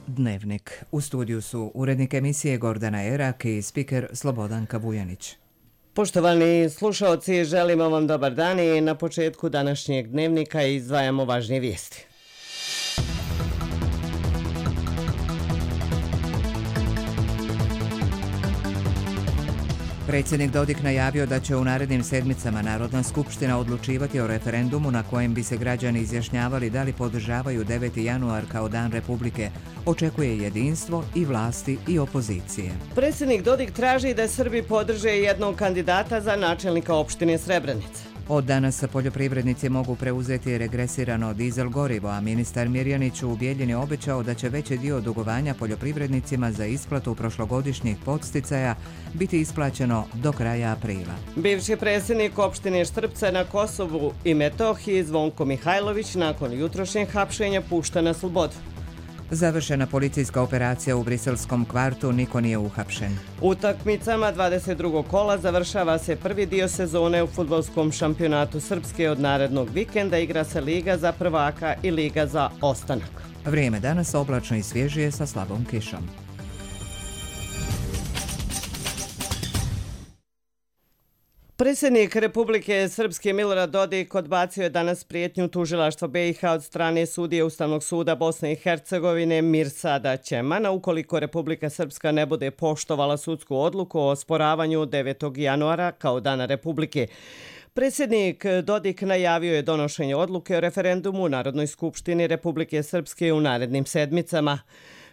Dnevnik. U studiju su urednik emisije Gordana Erak i spiker Slobodanka Vujanić. Poštovani slušaoci, želimo vam dobar dan i na početku današnjeg dnevnika izdvajamo važnije vijesti. Predsjednik Dodik najavio da će u narednim sedmicama Narodna skupština odlučivati o referendumu na kojem bi se građani izjašnjavali da li podržavaju 9. januar kao dan Republike. Očekuje jedinstvo i vlasti i opozicije. Predsjednik Dodik traži da Srbi podrže jednog kandidata za načelnika opštine Srebrenica. Od danas poljoprivrednici mogu preuzeti regresirano dizel gorivo, a ministar Mirjanić u Bijeljini obećao da će veći dio dugovanja poljoprivrednicima za isplatu prošlogodišnjih podsticaja biti isplaćeno do kraja aprila. Bivši predsjednik opštine Štrpce na Kosovu i Metohiji Zvonko Mihajlović nakon jutrošnjeg hapšenja pušta na slobodu. Završena policijska operacija u briselskom kvartu, niko nije uhapšen. Utakmicama 22. kola završava se prvi dio sezone u fudbalskom šampionatu Srpske. Od narednog vikenda igra se Liga za prvaka i Liga za ostanak. Vrijeme danas oblačno i svježije sa slabom kišom. Predsjednik Republike Srpske Milorad Dodik odbacio je danas prijetnju tužilaštva BiH od strane sudije Ustavnog suda Bosne i Hercegovine Mirsada Ćemana ukoliko Republika Srpska ne bude poštovala sudsku odluku o osporavanju 9. januara kao dana Republike. Predsjednik Dodik najavio je donošenje odluke o referendumu u Narodnoj skupštini Republike Srpske u narednim sedmicama.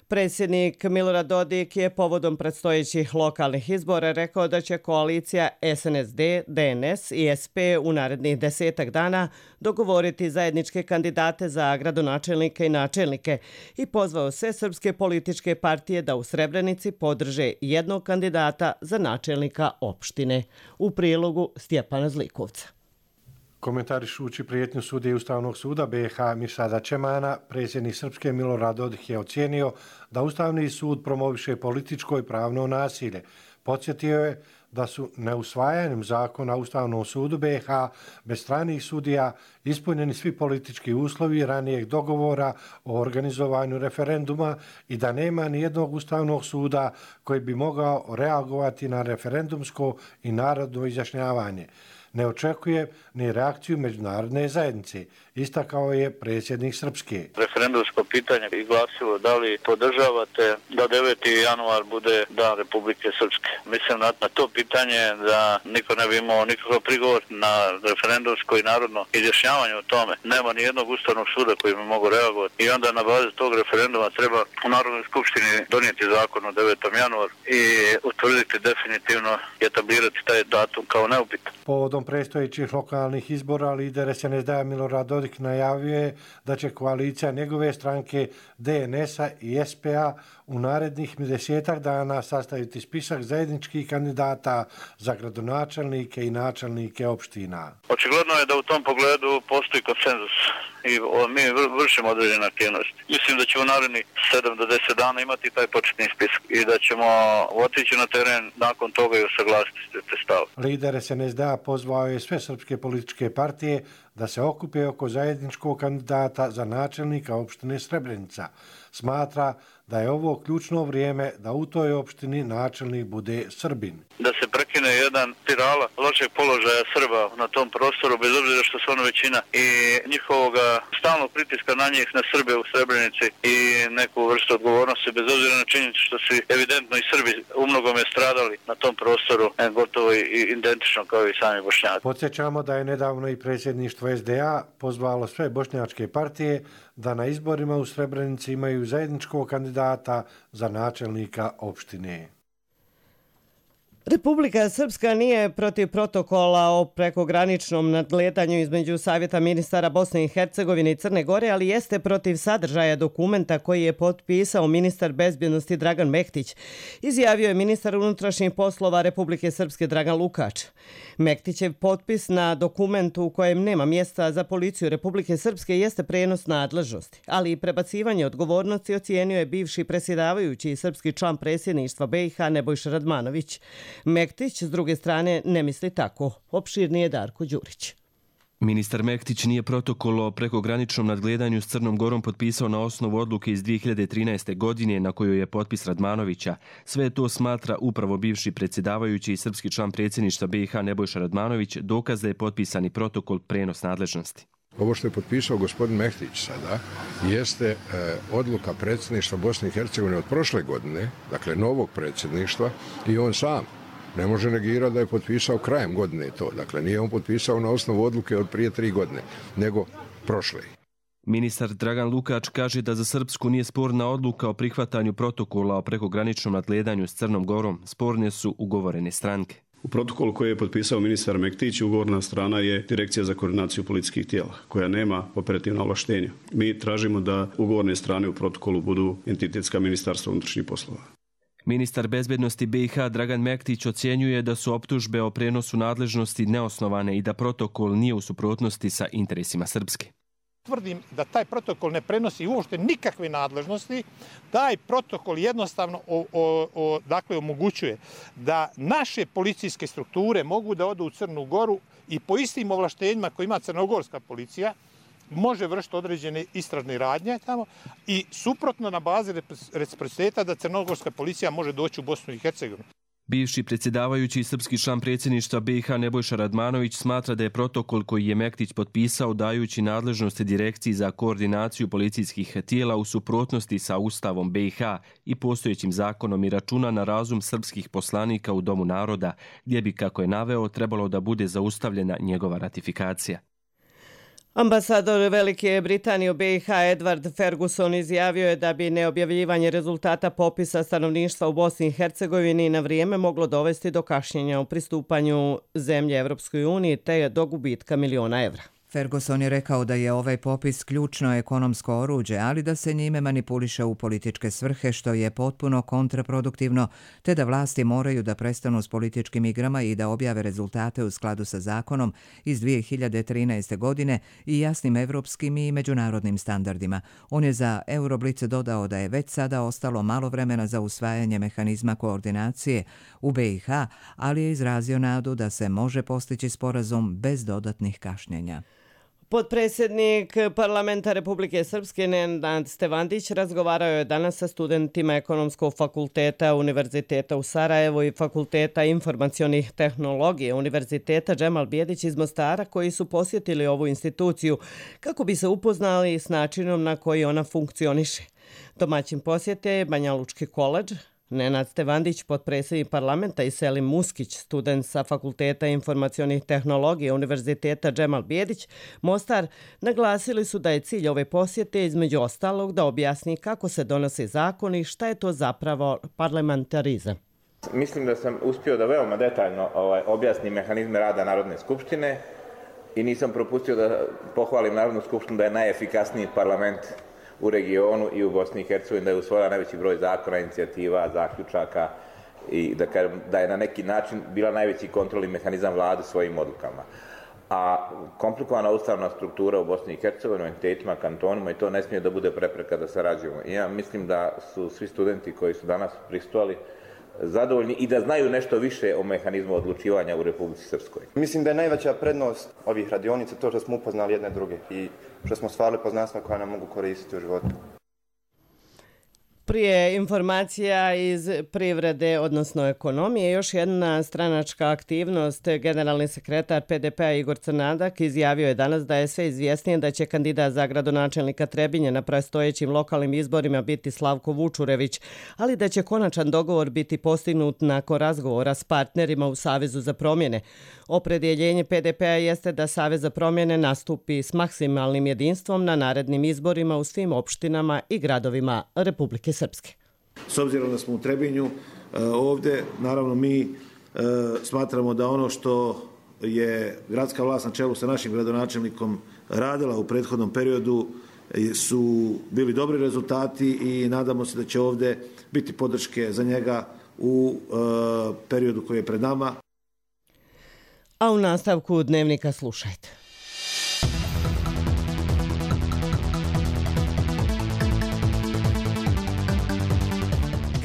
Predsjednik Milorad Dodik je povodom predstojećih lokalnih izbora rekao da će koalicija SNSD, DNS i SP u narednih 10 dana dogovoriti zajedničke kandidate za gradonačelnike i načelnike i pozvao sve srpske političke partije da u Srebrenici podrže jednog kandidata za načelnika opštine. U prilogu Stjepana Zlikovca. Komentarišući prijetnju sudije Ustavnog suda BiH Mirsada Ćemana, predsjednik Srpske Milorad Dodik je ocijenio da Ustavni sud promoviše političko i pravno nasilje. Podsjetio je da su neusvajanjem zakona Ustavnom sudu BiH bez stranih sudija ispunjeni svi politički uslovi ranijeg dogovora o organizovanju referenduma i da nema nijednog Ustavnog suda koji bi mogao reagovati na referendumsko i narodno izjašnjavanje. Ne očekuje ni reakciju međunarodne zajednice, istakao je predsjednik Srpske. Referendumsko pitanje i glasilo da li podržavate da 9. januar bude dan Republike Srpske. Mislim na to pitanje da niko ne bi imao nikakav prigovor na referendumsko i narodno izjašnjavanje o tome. Nema ni jednog Ustavnog suda koji bi mogu reagovati i onda na bazi tog referenduma treba u Narodnoj skupštini donijeti zakon o 9. januar i utvrditi definitivno i etablirati taj datum kao neupitan. Povodom predstojećih lokalnih izbora lider SNSD-a Milorad Dodik najavio je da će koalicija njegove stranke DNS-a i SP-a u narednih 10 dana sastaviti spisak zajedničkih kandidata za gradonačelnike i načelnike opština. Očigledno je da u tom pogledu postoji konsenzus i mi vršimo određene aktivnosti. Mislim da ćemo u narednih 7 do 10 dana imati taj početni spisak i da ćemo otići na teren nakon toga i usaglasiti te stave. Lider SNSD-a pozvao je sve srpske političke partije da se okupe oko zajedničkog kandidata za načelnika opštine Srebrenica. Smatra da je ovo ključno vrijeme da u toj opštini načelnik bude Srbin. Da se prekine jedan spirala lošeg položaja Srba na tom prostoru, bez obzira što su ono većina i njihovoga stalnog pritiska na njih, na Srbe u Srebrenici i neku vrstu odgovornosti, bez obzira na činjenicu što su evidentno i Srbi umnogome stradali na tom prostoru, gotovo i identično kao i sami Bošnjaci. Podsjećamo da je nedavno i predsjedništvo SDA pozvalo sve bošnjačke partije da na izborima u Srebrenici imaju zajedničkog kandidata za načelnika opštine. Republika Srpska nije protiv protokola o prekograničnom nadgledanju između Savjeta ministara Bosne i Hercegovine i Crne Gore, ali jeste protiv sadržaja dokumenta koji je potpisao ministar bezbjednosti Dragan Mehtić, izjavio je ministar unutrašnjih poslova Republike Srpske Dragan Lukač. Mehtićev potpis na dokumentu u kojem nema mjesta za policiju Republike Srpske jeste prenos nadležnosti, ali i prebacivanje odgovornosti ocijenio je bivši predsjedavajući i srpski član predsjedništva BiH Nebojša Radmanović. Mehtić, s druge strane, ne misli tako. Opširnije Darko Đurić. Ministar Mektić nije protokol o prekograničnom nadgledanju s Crnom Gorom potpisao na osnovu odluke iz 2013. godine na kojoj je potpis Radmanovića. Sve to smatra upravo bivši predsjedavajući i srpski član predsjedništva BiH Nebojša Radmanović, dokaz da je potpisani protokol prenos nadležnosti. Ovo što je potpisao gospodin Mektić sada jeste odluka predsjedništva Bosne i Hercegovine od prošle godine, dakle novog predsjedništva, i on sam ne može negirati da je potpisao krajem godine to. Dakle, nije on potpisao na osnovu odluke od prije 3 godine, nego prošle. Ministar Dragan Lukač kaže da za Srpsku nije sporna odluka o prihvatanju protokola o prekograničnom nadgledanju s Crnom Gorom. Sporne su ugovorene stranke. U protokolu koji je potpisao ministar Mektić, ugovorna strana je Direkcija za koordinaciju policijskih tijela, koja nema operativna ovlaštenja. Mi tražimo da ugovorne strane u protokolu budu entitetska ministarstva unutrašnjih poslova. Ministar bezbednosti BiH Dragan Mektić ocjenjuje da su optužbe o prenosu nadležnosti neosnovane i da protokol nije u suprotnosti sa interesima Srpske. Tvrdim da taj protokol ne prenosi uopšte nikakve nadležnosti. Taj protokol jednostavno omogućuje da naše policijske strukture mogu da odu u Crnu Goru i po istim ovlaštenjima koje ima crnogorska policija može vršiti određene istražne radnje tamo i suprotno na bazi reciprociteta da crnogorska policija može doći u Bosnu i Hercegovinu. Bivši predsjedavajući i srpski član predsjedništva BiH Nebojša Radmanović smatra da je protokol koji je Mektić potpisao dajući nadležnosti Direkciji za koordinaciju policijskih tijela u suprotnosti sa Ustavom BiH i postojećim zakonom i računa na razum srpskih poslanika u Domu naroda, gdje bi, kako je naveo, trebalo da bude zaustavljena njegova ratifikacija. Ambasador Velike Britanije u BiH Edward Ferguson izjavio je da bi neobjavljivanje rezultata popisa stanovništva u Bosni i Hercegovini na vrijeme moglo dovesti do kašnjenja u pristupanju zemlje Evropskoj uniji te do gubitka miliona evra. Ferguson je rekao da je ovaj popis ključno ekonomsko oruđe, ali da se njime manipuliše u političke svrhe, što je potpuno kontraproduktivno, te da vlasti moraju da prestanu s političkim igrama i da objave rezultate u skladu sa zakonom iz 2013. godine i jasnim evropskim i međunarodnim standardima. On je za Euroblic dodao da je već sada ostalo malo vremena za usvajanje mehanizma koordinacije u BiH, ali je izrazio nadu da se može postići sporazum bez dodatnih kašnjenja. Potpredsjednik Parlamenta Republike Srpske Nenad Stevandić razgovarao je danas sa studentima Ekonomskog fakulteta Univerziteta u Sarajevu i Fakulteta informacionih tehnologija Univerziteta Džemal Bijedić iz Mostara, koji su posjetili ovu instituciju kako bi se upoznali s načinom na koji ona funkcioniše. Domaćin posjete je Banja Lučki koledž. Nenad Stevandić, potpredsjednik parlamenta, i Selim Muskić, student sa Fakulteta informacionih tehnologija Univerziteta Džemal Bijedić, Mostar, naglasili su da je cilj ove posjete između ostalog da objasni kako se donose zakoni i šta je to zapravo parlamentarizam. Mislim da sam uspio da veoma detaljno objasnim mehanizme rada Narodne skupštine i nisam propustio da pohvalim Narodnu skupštinu da je najefikasniji parlament u regionu i u Bosni i Hercegovini, da je usvojila najveći broj zakona, inicijativa, zaključaka i da je na neki način bila najveći kontrolni mehanizam vlade svojim odlukama. A komplikovana ustavna struktura u Bosni i Hercegovini, entitetima, kantonima, i to ne smije da bude prepreka da sarađujemo. I ja mislim da su svi studenti koji su danas prisustvovali zadovoljni i da znaju nešto više o mehanizmu odlučivanja u Republici Srpskoj. Mislim da je najveća prednost ovih radionica to što smo upoznali jedne druge i što smo stvarali poznanstva koja nam mogu koristiti u životu. Prije informacija iz privrede, odnosno ekonomije, još jedna stranačka aktivnost. Generalni sekretar PDP-a Igor Crnadak izjavio je danas da je sve izvjesnije da će kandidat za gradonačelnika Trebinje na predstojećim lokalnim izborima biti Slavko Vučurević, ali da će konačan dogovor biti postignut nakon razgovora s partnerima u Savezu za promjene. Opredjeljenje PDP-a jeste da Savez za promjene nastupi s maksimalnim jedinstvom na narednim izborima u svim opštinama i gradovima Republike Srpske. S obzirom da smo u Trebinju ovdje, naravno mi smatramo da ono što je gradska vlast na čelu sa našim gradonačelnikom radila u prethodnom periodu su bili dobri rezultati i nadamo se da će ovdje biti podrške za njega u periodu koji je pred nama. A u nastavku dnevnika slušajte.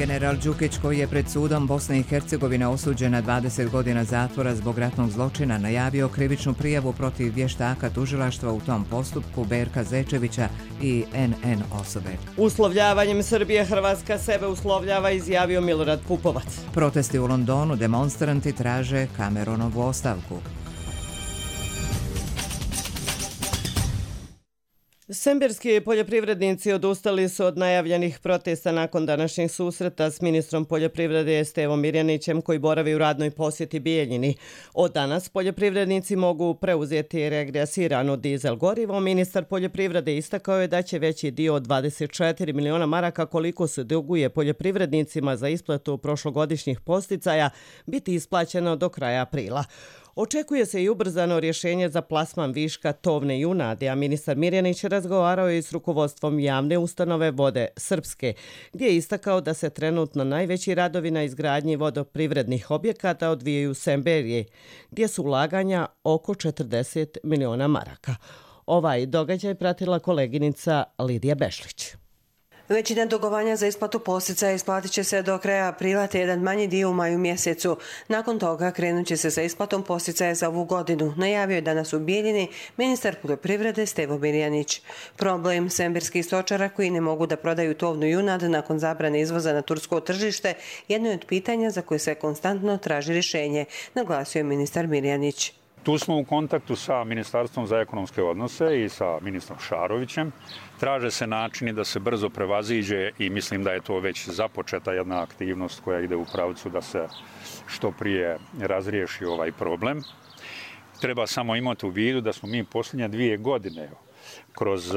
General Đukić, koji je pred sudom Bosne i Hercegovine osuđen na 20 godina zatvora zbog ratnog zločina, najavio krivičnu prijavu protiv vještaka tužilaštva u tom postupku Berka Zečevića i NN osobe. Uslovljavanjem Srbije Hrvatska sebe uslovljava, izjavio Milorad Pupovac. Protesti u Londonu, demonstranti traže Cameronovu ostavku. Semberski poljoprivrednici odustali su od najavljenih protesta nakon današnjeg susreta s ministrom poljoprivrede Stevom Mirjanićem, koji boravi u radnoj posjeti Bijeljini. Od danas poljoprivrednici mogu preuzeti regresirano dizel gorivo. Ministar poljoprivrede istakao je da će veći dio od 24 miliona maraka koliko se duguje poljoprivrednicima za isplatu prošlogodišnjih podsticaja biti isplaćeno do kraja aprila. Očekuje se i ubrzano rješenje za plasman viška tovne junadi, a ministar Mirjanić razgovarao je s rukovodstvom javne ustanove Vode Srpske, gdje je istakao da se trenutno najveći radovi na izgradnji vodoprivrednih objekata odvijaju u Semberije, gdje su ulaganja oko 40 miliona maraka. Ovaj događaj pratila koleginica Lidija Bešlić. Većina dugovanja za isplatu podsticaja isplatit će se do kraja aprila, te jedan manji dio u maju mjesecu. Nakon toga krenut će se sa isplatom podsticaja za ovu godinu, najavio je danas u Bijeljini ministar poljoprivrede Stevo Mirjanić. Problem semberskih stočara koji ne mogu da prodaju tovnu junad nakon zabrane izvoza na tursko tržište jedno je od pitanja za koje se konstantno traži rješenje, naglasio je ministar Mirjanić. Tu smo u kontaktu sa Ministarstvom za ekonomske odnose i sa ministrom Šarovićem. Traže se načini da se brzo prevaziđe i mislim da je to već započeta jedna aktivnost koja ide u pravcu da se što prije razriješi ovaj problem. Treba samo imati u vidu da smo mi posljednje 2 godine kroz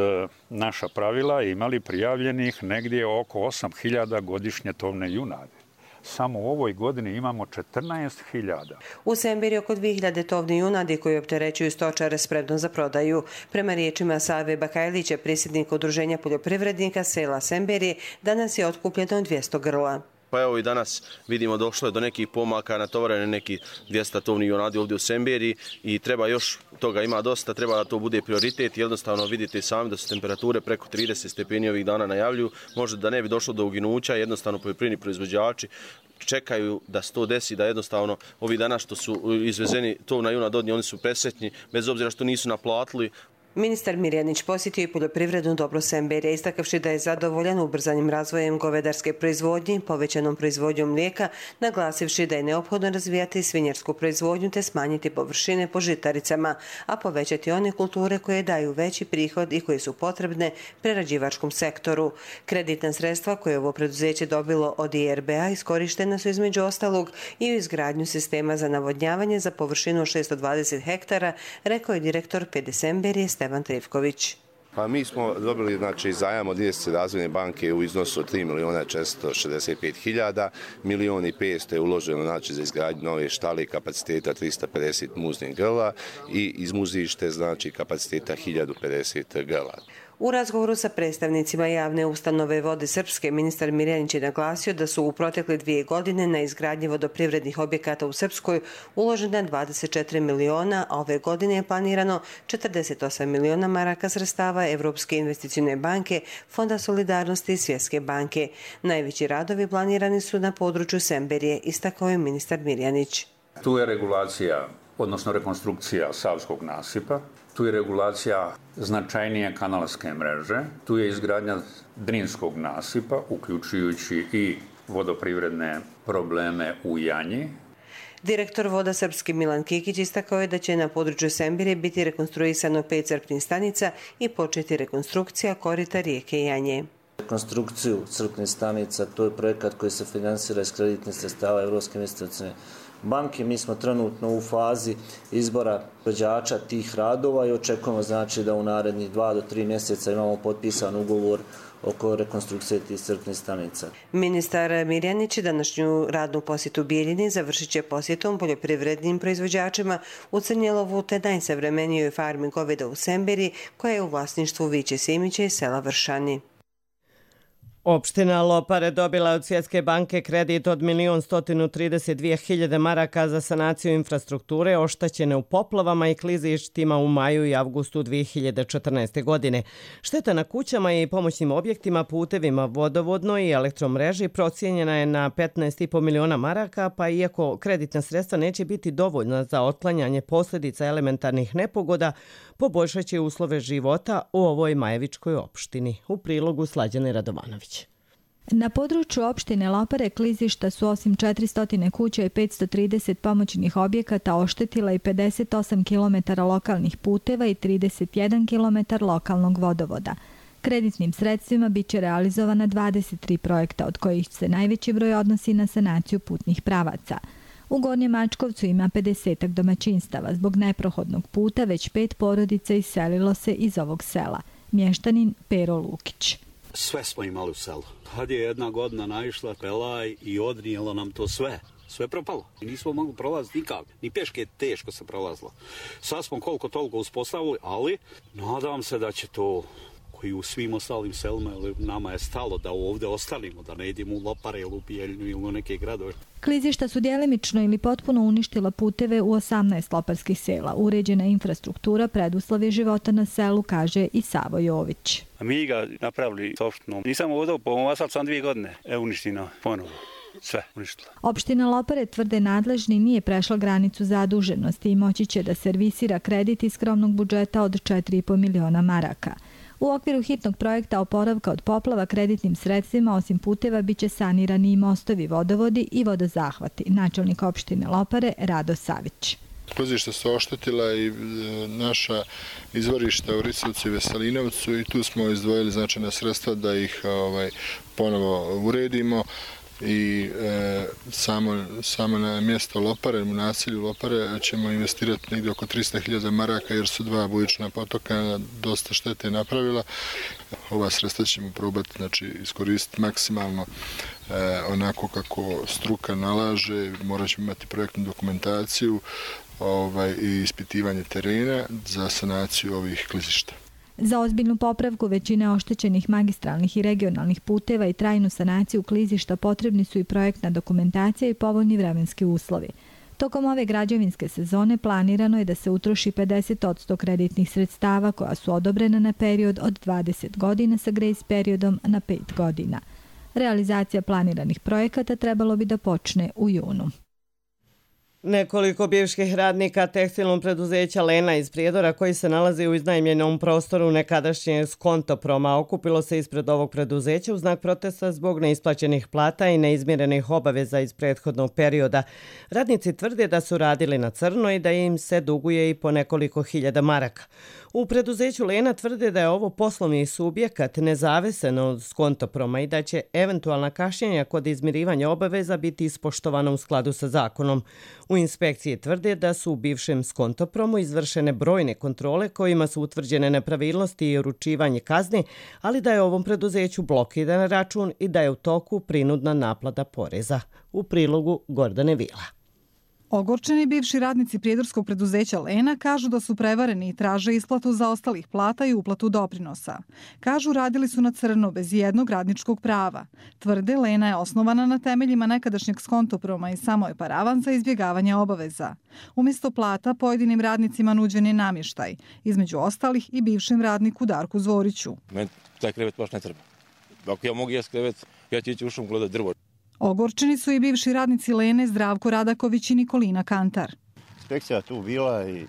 naša pravila imali prijavljenih negdje oko 8.000 godišnje tovne junade. Samo u ovoj godini imamo 14.000. U Semberi oko 2.000 tovni junadi koji opterećuju stočare spremno za prodaju. Prema riječima Save Bakajlića, predsjednika Udruženja poljoprivrednika sela Semberi, danas je otkupljeno 200 grla. Pa evo i danas vidimo došlo je do nekih pomaka, natovarene neki 200 tovni junadi ovdje u Semberi i treba još toga ima dosta, treba da to bude prioritet. Jednostavno vidite sami da su temperature preko 30 stepeni ovih dana najavljuju. Možda da ne bi došlo do uginuća, jednostavno poljoprivredni proizvođači čekaju da se to desi, da jednostavno ovih dana što su izvezeni tovna junad od njih, oni su presretni, bez obzira što nisu naplatili. Ministar Mirjanić posjetio i poljoprivrednu dobro Semberija, istakavši da je zadovoljan ubrzanjem razvojem govedarske proizvodnje, povećanom proizvodnjom mlijeka, naglasivši da je neophodno razvijati svinjarsku proizvodnju te smanjiti površine po žitaricama, a povećati one kulture koje daju veći prihod i koje su potrebne prerađivačkom sektoru. Kreditna sredstva koje je ovo preduzeće dobilo od IRB-a iskorištena su između ostalog i u izgradnju sistema za navodnjavanje za površinu 620 hektara, rekao je direktor PD Semberije Stevan Trivković. Pa mi smo dobili zajam od Svjetske razvojne banke u iznosu od 3.465.000, 1.500.000 je uloženo za izgradnju nove štale kapaciteta 350 muznih grla i iz muzište kapaciteta 1050 grla. U razgovoru sa predstavnicima javne ustanove Vode Srpske, ministar Mirjanić je naglasio da su u protekle 2 godine na izgradnji vodoprivrednih objekata u Srpskoj uložena 24 miliona, a ove godine je planirano 48 miliona maraka sredstava Evropske investicijne banke, Fonda solidarnosti i Svjetske banke. Najveći radovi planirani su na području Semberije, istakao je ministar Mirjanić. Tu je regulacija, odnosno rekonstrukcija Savskog nasipa, tu je regulacija značajnije kanalske mreže, tu je izgradnja Drinskog nasipa, uključujući i vodoprivredne probleme u Janji. Direktor Voda Srpske Milan Kikić istakao je da će na području Sembire biti rekonstruisano 5 crpnih stanica i početi rekonstrukcija korita rijeke Janje. Rekonstrukciju crpnih stanica, to je projekat koji se finansira iz kreditnih sredstava Evropske investicijne banke. Mi smo trenutno u fazi izbora proizvođača tih radova i očekujemo da u narednih 2 do 3 mjeseca imamo potpisan ugovor oko rekonstrukcije tih crpnih stanica. Ministar Mirjanić današnju radnu posjetu Bijeljini završit će posjetom poljoprivrednim proizvođačima u Crnjelovu te najsavremenijoj farmi goveda u Semberi koja je u vlasništvu Viće Simića i sela Vršani. Opština Lopare dobila od Svjetske banke kredit od 1.132.000 maraka za sanaciju infrastrukture oštećene u poplavama i klizištima u maju i avgustu 2014. godine. Šteta na kućama i pomoćnim objektima, putevima, vodovodnoj i elektromreži procijenjena je na 15,5 miliona maraka, pa iako kreditna sredstva neće biti dovoljna za otklanjanje posljedica elementarnih nepogoda, poboljšat će uslove života u ovoj majevičkoj opštini. U prilogu Slađane Radovanović. Na području opštine Lopare klizišta su osim 400 kuća i 530 pomoćnih objekata oštetila i 58 km lokalnih puteva i 31 km lokalnog vodovoda. Kreditnim sredstvima biće realizovana 23 projekta, od kojih se najveći broj odnosi na sanaciju putnih pravaca. U Gornjem Mačkovcu ima 50 domaćinstava. Zbog neprohodnog puta već 5 porodica iselilo se iz ovog sela. Mještanin Pero Lukić. Sve smo imali u selu. Kad je jedna godina naišla pelaj i odnijela nam to sve. Sve propalo. I nismo mogli prolaziti nikako. Ni peške teško se prolazilo. Sad smo koliko toliko uspostavili, ali nadam se da će to i u svim ostalim selima, nama je stalo da ovdje ostanemo, da ne idemo u Lopare ili u Bijeljinu ili u neke gradove. Klizišta su djelimično ili potpuno uništila puteve u 18 loparskih sela. Uređena infrastruktura preduslov je života na selu, kaže i Savo Jović. Mi ga napravili s opštinom. Nisam ovdje po asfalt sam 2 godine. Uništeno ponovo. Sve uništila. Opština Lopare, tvrde nadležni, nije prešla granicu zaduženosti i moći će da servisira kredit iz skromnog budžeta od 4,5 miliona maraka. U okviru hitnog projekta oporavka od poplava kreditnim sredstvima osim puteva biće sanirani i mostovi, vodovodi i vodozahvati. Načelnik opštine Lopare Rado Savić. Klizišta su oštetila i naša izvorišta u Risovcu i Veselinovcu i tu smo izdvojili značajna sredstva da ih ponovo uredimo. I samo na mjesto Lopare, u naselju Lopare, ćemo investirati negdje oko 300.000 maraka jer su 2 bujična potoka dosta štete napravila. Ova sredstva ćemo probati iskoristiti maksimalno onako kako struka nalaže. Morat ćemo imati projektnu dokumentaciju i ispitivanje terena za sanaciju ovih klizišta. Za ozbiljnu popravku većine oštećenih magistralnih i regionalnih puteva i trajnu sanaciju klizišta potrebni su i projektna dokumentacija i povoljni vremenski uslovi. Tokom ove građevinske sezone planirano je da se utroši 50% kreditnih sredstava koja su odobrena na period od 20 godina sa grace periodom na 5 godina. Realizacija planiranih projekata trebalo bi da počne u junu. Nekoliko bivših radnika tekstilnog preduzeća Lena iz Prijedora koji se nalazi u iznajmljenom prostoru nekadašnjeg Skontoproma okupilo se ispred ovog preduzeća u znak protesta zbog neisplaćenih plata i neizmirenih obaveza iz prethodnog perioda. Radnici tvrde da su radili na crno i da im se duguje i po nekoliko hiljada maraka. U preduzeću Lena tvrde da je ovo poslovni subjekat nezavisan od Skontoproma i da će eventualna kašnjenja kod izmirivanja obaveza biti ispoštovana u skladu sa zakonom. U inspekciji tvrde da su u bivšem Skontopromu izvršene brojne kontrole kojima su utvrđene nepravilnosti i uručivanje kazni, ali da je ovom preduzeću blokiran račun i da je u toku prinudna naplata poreza. U prilogu Gordane Vila. Ogorčeni bivši radnici prijedorskog preduzeća Lena kažu da su prevareni i traže isplatu zaostalih plata i uplatu doprinosa. Kažu radili su na crno bez jednog radničkog prava. Tvrde Lena je osnovana na temeljima nekadašnjeg Skontoproma i samo je paravan za izbjegavanje obaveza. Umjesto plata pojedinim radnicima nuđen je namještaj, između ostalih i bivšem radniku Darku Zvoriću. Meni taj krevet baš ne treba. Ako ja mogu jes krevet, ja ću ići u šum gledat drvo. Ogorčeni su i bivši radnici Lene Zdravko Radaković i Nikolina Kantar. Inspekcija tu bila i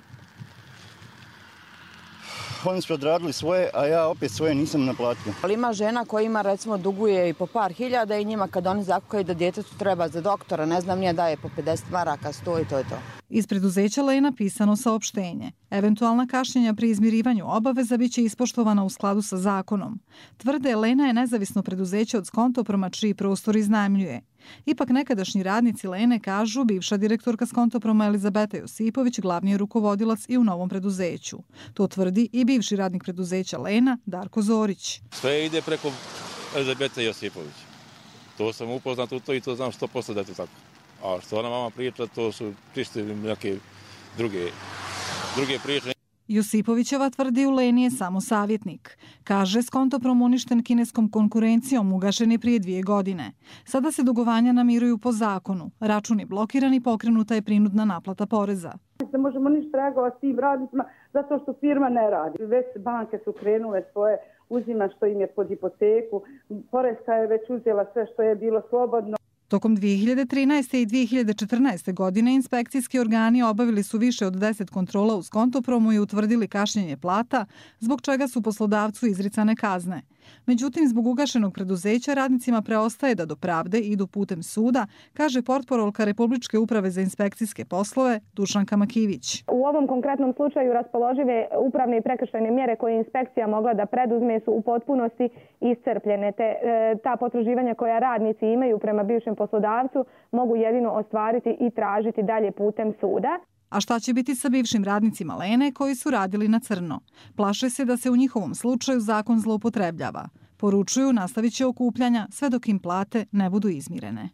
oni su odradili svoje, a ja opet svoje nisam naplatio. Ali ima žena koja ima recimo duguje i po par hiljada i njima kad oni zakukaju da djetetu treba za doktora, ne znam nije daje po 50 maraka, 100 i to je to. Iz preduzeća Lena pisano saopštenje. Eventualna kašnjenja pri izmirivanju obaveza biće ispoštovana u skladu sa zakonom. Tvrde Lena je nezavisno preduzeće od Skontoproma čiji prostor iznajmljuje. Ipak nekadašnji radnici Lene kažu bivša direktorka Skontoproma Elizabeta Josipović glavni je rukovodilac i u novom preduzeću. To tvrdi i bivši radnik preduzeća Lena Darko Zorić. Sve ide preko Elizabeta Josipović. To sam upoznat u to i to znam 100% da je to tako. A što ona mama priča, to su čisti neke druge priče. Josipovićeva tvrdi Uleni je samo savjetnik. Kaže, Skontoprom uništen kineskom konkurencijom ugašen je prije 2 godine. Sada se dugovanja namiruju po zakonu. Račun je blokiran i pokrenuta je prinudna naplata poreza. Ne možemo ništa reagovati tim radnicima zato što firma ne radi. Već banke su krenule svoje uzima što im je pod hipoteku. Poreska je već uzela sve što je bilo slobodno. Tokom 2013. i 2014. godine inspekcijski organi obavili su više od 10 kontrola u Skontopromu i utvrdili kašnjenje plata, zbog čega su poslodavcu izricane kazne. Međutim, zbog ugašenog preduzeća radnicima preostaje da do pravde idu putem suda, kaže portparolka Republičke uprave za inspekcijske poslove Dušanka Makivić. U ovom konkretnom slučaju raspoložive upravne i prekršajne mjere koje je inspekcija mogla da preduzme su u potpunosti iscrpljene. Ta potraživanja koja radnici imaju prema bivšem poslodavcu mogu jedino ostvariti i tražiti dalje putem suda. A šta će biti sa bivšim radnicima Lene koji su radili na crno? Plaše se da se u njihovom slučaju zakon zloupotrebljava. Poručuju, nastavit će okupljanja sve dok im plate ne budu izmirene.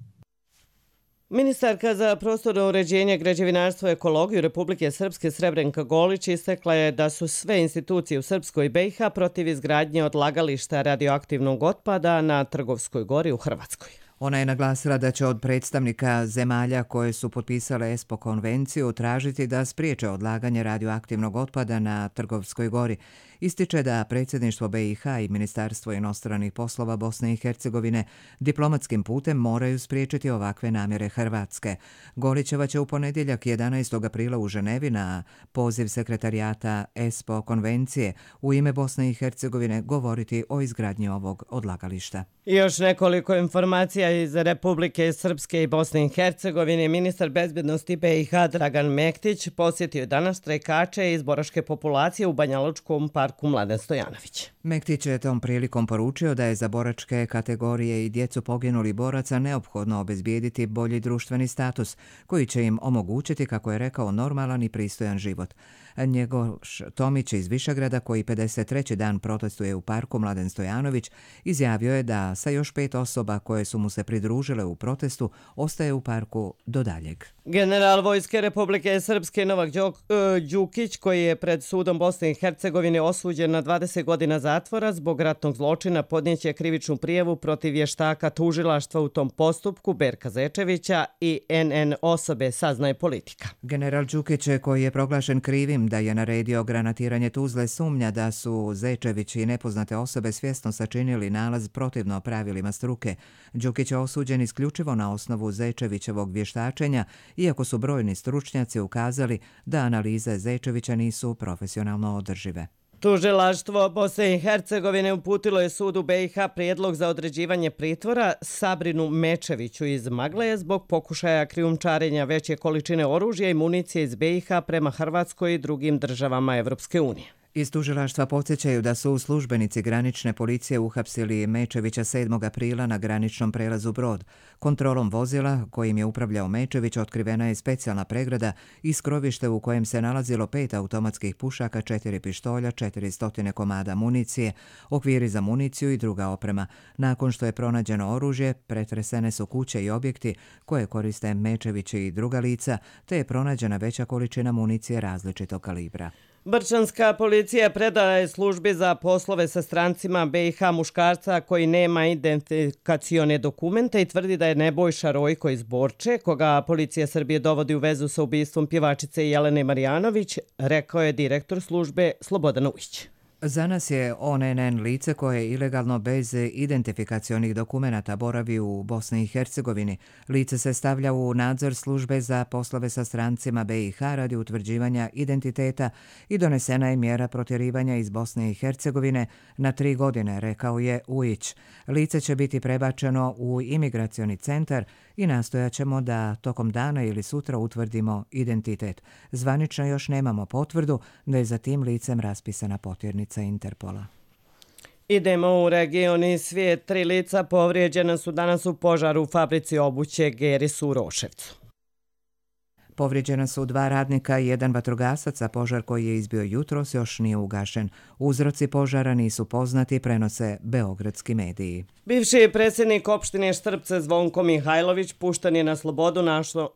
Ministarka za prostorno uređenje, građevinarstvo i ekologiju Republike Srpske Srebrenka Golić istakla je da su sve institucije u Srpskoj BiH protiv izgradnje odlagališta radioaktivnog otpada na Trgovskoj gori u Hrvatskoj. Ona je naglasila da će od predstavnika zemalja koje su potpisale ESPO konvenciju tražiti da spriječe odlaganje radioaktivnog otpada na Trgovskoj gori. Ističe da predsjedništvo BiH i Ministarstvo inostranih poslova Bosne i Hercegovine diplomatskim putem moraju spriječiti ovakve namjere Hrvatske. Golićeva će u ponedjeljak 11. aprila u Ženevi na poziv sekretarijata ESPO konvencije u ime Bosne i Hercegovine govoriti o izgradnji ovog odlagališta. Još nekoliko informacija iz Republike Srpske i Bosne i Hercegovine. Ministar bezbednosti BiH Dragan Mektić posjetio danas strajkače iz boraške populacije u Banjalučkom parku Mladen Stojanović. Mektić je tom prilikom poručio da je za boračke kategorije i djecu poginulih boraca neophodno obezbijediti bolji društveni status koji će im omogućiti, kako je rekao, normalan i pristojan život. Njegoš Tomić iz Višegrada, koji 53. dan protestuje u parku Mladen Stojanović, izjavio je da sa još 5 osoba koje su mu se pridružile u protestu ostaje u parku do daljeg. General Vojske Republike Srpske Novak Đukić, koji je pred sudom Bosne i Hercegovine osuđen na 20 godina zatvora zbog ratnog zločina, podnijeće krivičnu prijavu protiv vještaka tužilaštva u tom postupku Berka Zečevića i NN osobe, saznaje Politika. General Đukić, koji je proglašen krivim da je naredio granatiranje Tuzle, sumnja da su Zečević i nepoznate osobe svjesno sačinili nalaz protivno pravilima struke. Đukić je osuđen isključivo na osnovu Zečevićevog vještačenja, iako su brojni stručnjaci ukazali da analize Zečevića nisu profesionalno održive. Tužilaštvo Bosne i Hercegovine uputilo je sudu BiH prijedlog za određivanje pritvora Sabrinu Mečeviću iz Magleje zbog pokušaja krijumčarenja veće količine oružja i municije iz BiH prema Hrvatskoj i drugim državama Evropske unije. Iz tužilaštva podsjećaju da su službenici granične policije uhapsili Mečevića 7. aprila na graničnom prelazu Brod. Kontrolom vozila kojim je upravljao Mečević otkrivena je specijalna pregrada i skrovište u kojem se nalazilo 5 automatskih pušaka, 4 pištolja, 400 komada municije, okviri za municiju i druga oprema. Nakon što je pronađeno oružje, pretresene su kuće i objekti koje koriste Mečević i druga lica, te je pronađena veća količina municije različitog kalibra. Brčanska policija predala je službi za poslove sa strancima BiH muškarca koji nema identifikacione dokumente i tvrdi da je Nebojša Rojko iz Borče, koga policija Srbije dovodi u vezu sa ubistvom pjevačice Jelene Marjanović, rekao je direktor službe Slobodan Ujić. Za nas je ONN lice koje ilegalno bez identifikacionih dokumenata boravi u Bosni i Hercegovini. Lice se stavlja u nadzor službe za poslove sa strancima BiH radi utvrđivanja identiteta i donesena je mjera protjerivanja iz Bosne i Hercegovine na 3 godine, rekao je Ujić. Lice će biti prebačeno u imigracioni centar i nastojat ćemo da tokom dana ili sutra utvrdimo identitet. Zvanično još nemamo potvrdu da je za tim licem raspisana potjernica Interpola. Idemo u region i svijet. 3 lica povrijeđena su danas u požaru u fabrici obuće Geris u Roševcu. Povrijeđena su 2 radnika i 1 vatrogasac, a požar koji je izbio jutros još nije ugašen. Uzroci požara nisu poznati, prenose beogradski mediji. Bivši predsjednik opštine Štrpce Zvonko Mihajlović pušten je na slobodu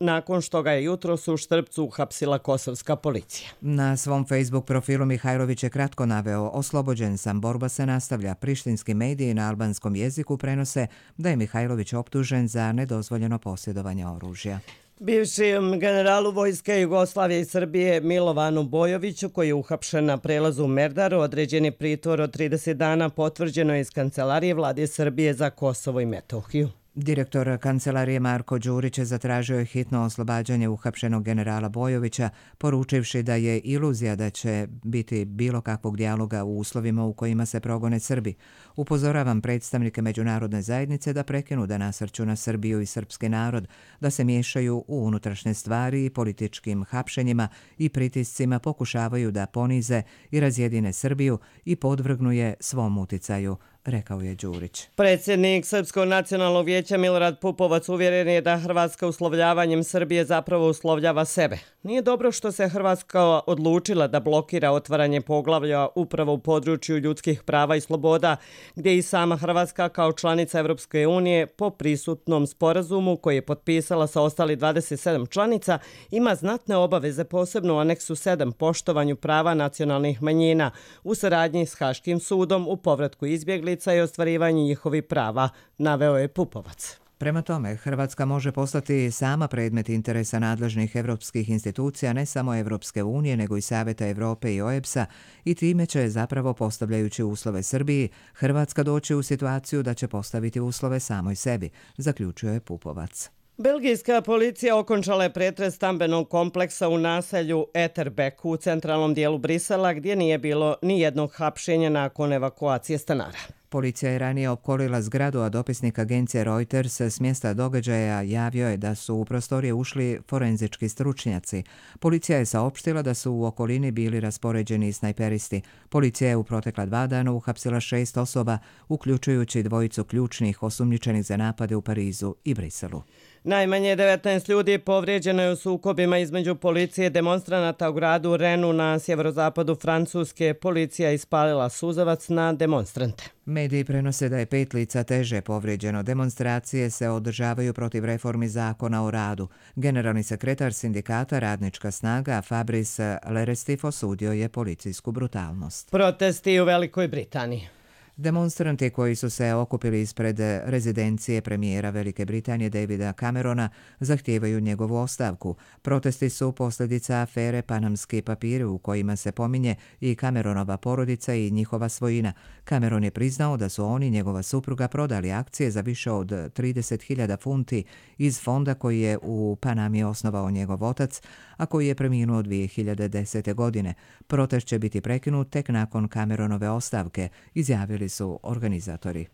nakon što ga je jutros u Štrpcu uhapsila kosovska policija. Na svom Facebook profilu Mihajlović je kratko naveo: oslobođen sam, borba se nastavlja. Prištinski mediji na albanskom jeziku prenose da je Mihajlović optužen za nedozvoljeno posjedovanje oružja. Bivšim generalu vojske Jugoslavije i Srbije Milovanu Bojoviću, koji je uhapšen na prelazu u Merdaru, određen je pritvor od 30 dana, potvrđeno je iz Kancelarije Vlade Srbije za Kosovo i Metohiju. Direktor kancelarije Marko Đurić zatražio je hitno oslobađanje uhapšenog generala Bojovića, poručivši da je iluzija da će biti bilo kakvog dijaloga u uslovima u kojima se progone Srbi. Upozoravam predstavnike međunarodne zajednice da prekinu da nasrću na Srbiju i srpski narod, da se miješaju u unutrašnje stvari i političkim hapšenjima i pritiscima pokušavaju da ponize i razjedine Srbiju i podvrgnu je svom uticaju, rekao je Đurić. Predsjednik Srpskog nacionalnog vijeća Milorad Pupovac uvjeren je da Hrvatska uslovljavanjem Srbije zapravo uslovljava sebe. Nije dobro što se Hrvatska odlučila da blokira otvaranje poglavlja upravo u području ljudskih prava i sloboda, gdje i sama Hrvatska kao članica Evropske unije po prisutnom sporazumu koji je potpisala sa ostali 27 članica ima znatne obaveze, posebno u aneksu 7 poštovanju prava nacionalnih manjina u saradnji s Haškim sudom u povratku izbjeglica i ostvarivanju njihovih prava, naveo je Pupovac. Prema tome, Hrvatska može postati sama predmet interesa nadležnih evropskih institucija, ne samo Evropske unije, nego i Saveta Evrope i OEBS-a, i time će, zapravo postavljajući uslove Srbiji, Hrvatska doći u situaciju da će postaviti uslove samoj sebi, zaključio je Pupovac. Belgijska policija okončala je pretres stambenog kompleksa u naselju Etterbeek u centralnom dijelu Brisela, gdje nije bilo ni jednog hapšenja nakon evakuacije stanara. Policija je ranije opkolila zgradu, a dopisnik agencije Reuters s mjesta događaja javio je da su u prostorije ušli forenzički stručnjaci. Policija je saopštila da su u okolini bili raspoređeni snajperisti. Policija je u protekla 2 dana uhapsila 6 osoba, uključujući 2 ključnih osumnjičenih za napade u Parizu i Briselu. Najmanje 19 ljudi povrijeđeno je u sukobima između policije i demonstranata u gradu Renu na sjeverozapadu Francuske. Policija ispalila suzavac na demonstrante. Mediji prenose da je 5 lica teže povrijeđeno. Demonstracije se održavaju protiv reformi zakona o radu. Generalni sekretar sindikata Radnička snaga Fabrice Lerestif osudio je policijsku brutalnost. Protesti u Velikoj Britaniji. Demonstranti koji su se okupili ispred rezidencije premijera Velike Britanije Davida Camerona zahtijevaju njegovu ostavku. Protesti su posljedica afere Panamski papiri u kojima se pominje i Cameronova porodica i njihova svojina. Cameron je priznao da su on i njegova supruga prodali akcije za više od 30.000 funti iz fonda koji je u Panami osnovao njegov otac, a koji je preminuo 2010. godine. Protest će biti prekinut tek nakon Cameronove ostavke, izjavili su organizatori.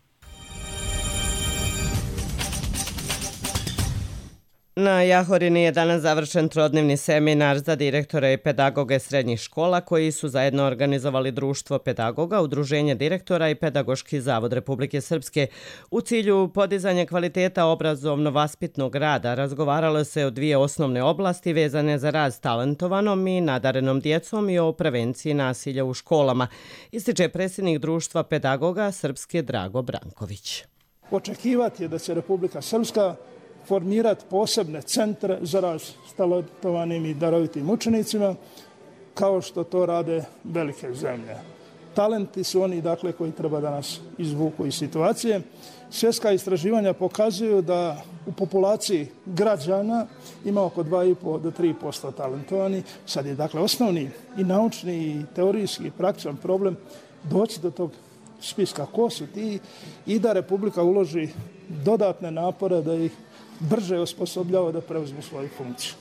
Na Jahorini je danas završen trodnevni seminar za direktore i pedagoge srednjih škola koji su zajedno organizovali Društvo pedagoga, Udruženje direktora i Pedagoški zavod Republike Srpske. U cilju podizanja kvaliteta obrazovno-vaspitnog rada razgovaralo se o 2 osnovne oblasti vezane za rad s talentovanom i nadarenom djecom i o prevenciji nasilja u školama, ističe predsjednik Društva pedagoga Srpske Drago Branković. Očekivati je da će Republika Srpska formirati posebne centre za rad s talentovanim i darovitim učenicima, kao što to rade velike zemlje. Talenti su oni, dakle, koji treba da nas izvuku iz situacije. Svjetska istraživanja pokazuju da u populaciji građana ima oko 2,5 do 3% talentovani. Sad je, dakle, osnovni i naučni i teorijski i praktičan problem doći do tog spiska ko su ti i da Republika uloži dodatne napore da ih brže osposobljava da preuzmu svoju funkciju.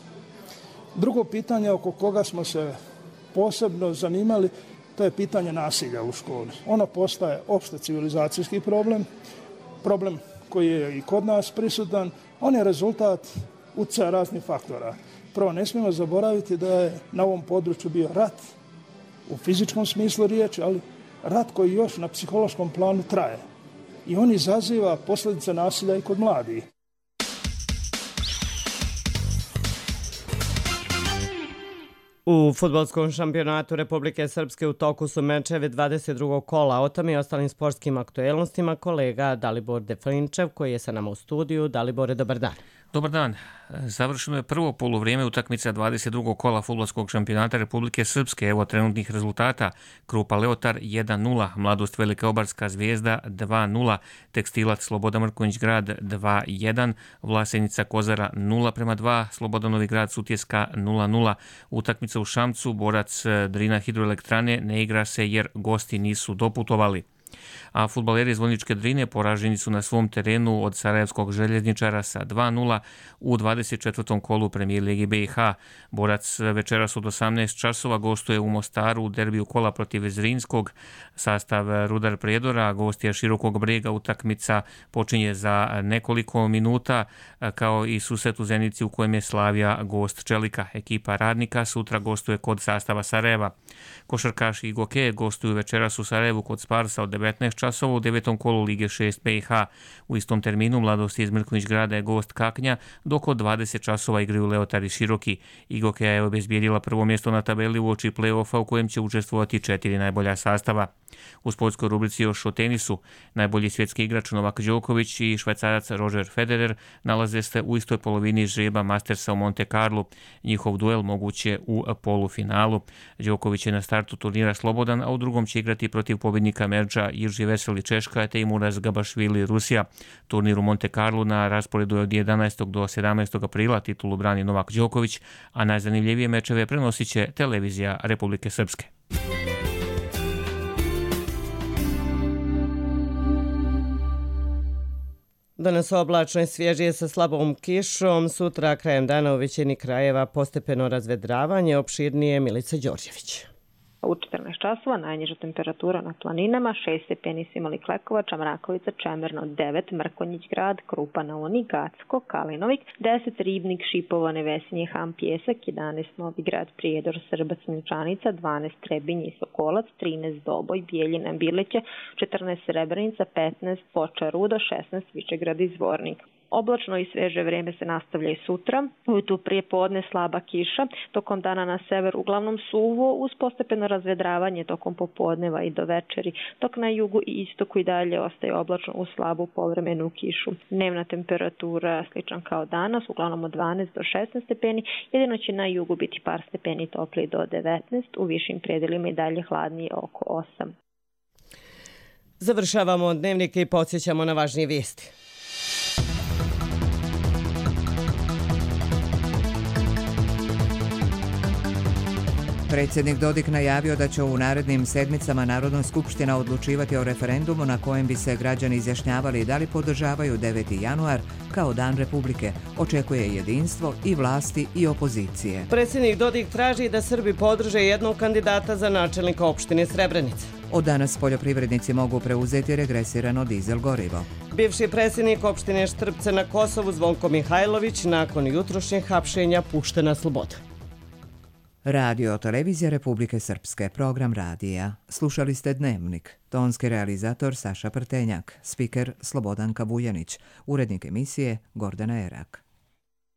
Drugo pitanje oko koga smo se posebno zanimali, to je pitanje nasilja u školi. Ono postaje opšte civilizacijski problem, problem koji je i kod nas prisutan. On je rezultat utjecaja raznih faktora. Prvo, ne smijemo zaboraviti da je na ovom području bio rat u fizičkom smislu riječi, ali rat koji još na psihološkom planu traje. I on izaziva posljedice nasilja i kod mladih. U fudbalskom šampionatu Republike Srpske u toku su mečevi 22. kola. O tome i ostalim sportskim aktuelnostima kolega Dalibor Deflinčev koji je sa nama u studiju. Dalibore, dobar dan. Dobar dan. Završeno je prvo poluvrijeme utakmica 22. kola fudbalskog šampionata Republike Srpske. Evo trenutnih rezultata. Krupa Leotar 1-0, Mladost Velika Obarska Zvijezda 2-0, Tekstilac Slobodan Mrkonjić Grad 2-1, Vlasenica Kozara 0-2, Slobodan Novi Grad Sutjeska 0-0. Utakmica u Šamcu, Borac Drina Hidroelektrane ne igra se jer gosti nisu doputovali. A fudbaleri iz Vojničke Drine poraženi su na svom terenu od Sarajevskog željezničara sa 2-0 u 24. kolu Premijer Ligi BiH. Borac večeras od 18 časova gostuje u Mostaru u derbiju kola protiv Zrinskog. Sastav Rudar Prijedora, gostija Širokog Brega, utakmica počinje za nekoliko minuta, kao i susret u Zenici u kojem je Slavija gost Čelika. Ekipa Radnika sutra gostuje kod sastava Sarajeva. Košarkaši i Goke gostuju večeras u Sarajevu kod Sparsa od 19 časova u 9. kolu Lige 6 BiH. U istom terminu Mladost iz Mrkonjić Grada je gost Kaknja, dok od 20 časova igraju Leotar i Široki. Igokeja je obezbijedila prvo mjesto na tabeli u oči play-offa u kojem će učestvovati 4 najbolja sastava. U sportskoj rubrici još o tenisu. Najbolji svjetski igrač Novak Đoković i švajcarac Roger Federer nalaze se u istoj polovini žreba Mastersa u Monte Carlu. Njihov duel moguće u polufinalu. Đoković je na startu turnira slobodan, a u drugom će igrati protiv pobjednika Merđa Irži Veseli Češka te Muraz Gabašvili Rusija. Turnir u Monte Carlu na rasporedu je od 11. do 17. aprila. Titulu brani Novak Đoković, a najzanimljivije mečeve prenosit će televizija Republike Srpske. Danas oblačno i svježije sa slabom kišom, sutra krajem dana u većini krajeva postepeno razvedravanje, opširnije Milica Đorđević. U 14 časova najniža temperatura na planinama, 6 stepeni su imali Klekovača, Mrakovica, Čemerno 9, Mrkonjić Grad, Krupa na Uni, Gacko, Kalinovik, 10 Ribnik, Šipovo, Nevesinje, Ham, Pjesak, 11 Novi Grad, Prijedor, Srbac, Milčanica, 12 Trebinje i Sokolac, 13 Doboj, Bijeljina, Birleće, 14 Srebrenica, 15 Foča, Rudo, 16 Višegrad i Zvornik. Oblačno i sveže vrijeme se nastavlja i sutra. Ujutru prije podne slaba kiša, tokom dana na sever uglavnom suvo, uz postepeno razvedravanje tokom popodneva i do večeri, dok na jugu i istoku i dalje ostaje oblačno uz slabu povremenu kišu. Dnevna temperatura sličan kao danas, uglavnom od 12 do 16 stepeni, jedino će na jugu biti par stepeni topliji do 19, u višim predelima i dalje hladnije oko 8. Završavamo dnevnike i podsjećamo na važnije vijesti. Predsjednik Dodik najavio da će u narednim sedmicama Narodna skupština odlučivati o referendumu na kojem bi se građani izjašnjavali da li podržavaju 9. januar kao dan Republike. Očekuje jedinstvo i vlasti i opozicije. Predsjednik Dodik traži da Srbi podrže jednog kandidata za načelnika opštine Srebrenica. Od danas poljoprivrednici mogu preuzeti regresirano dizel gorivo. Bivši predsjednik opštine Štrpce na Kosovu Zvonko Mihajlović nakon jutrošnjeg hapšenja pušten na slobodu. Radio Televizija Republike Srpske, program radija. Slušali ste Dnevnik. Tonski realizator Saša Prtenjak, spiker Slobodanka Vujanić, urednik emisije Gordana Erak.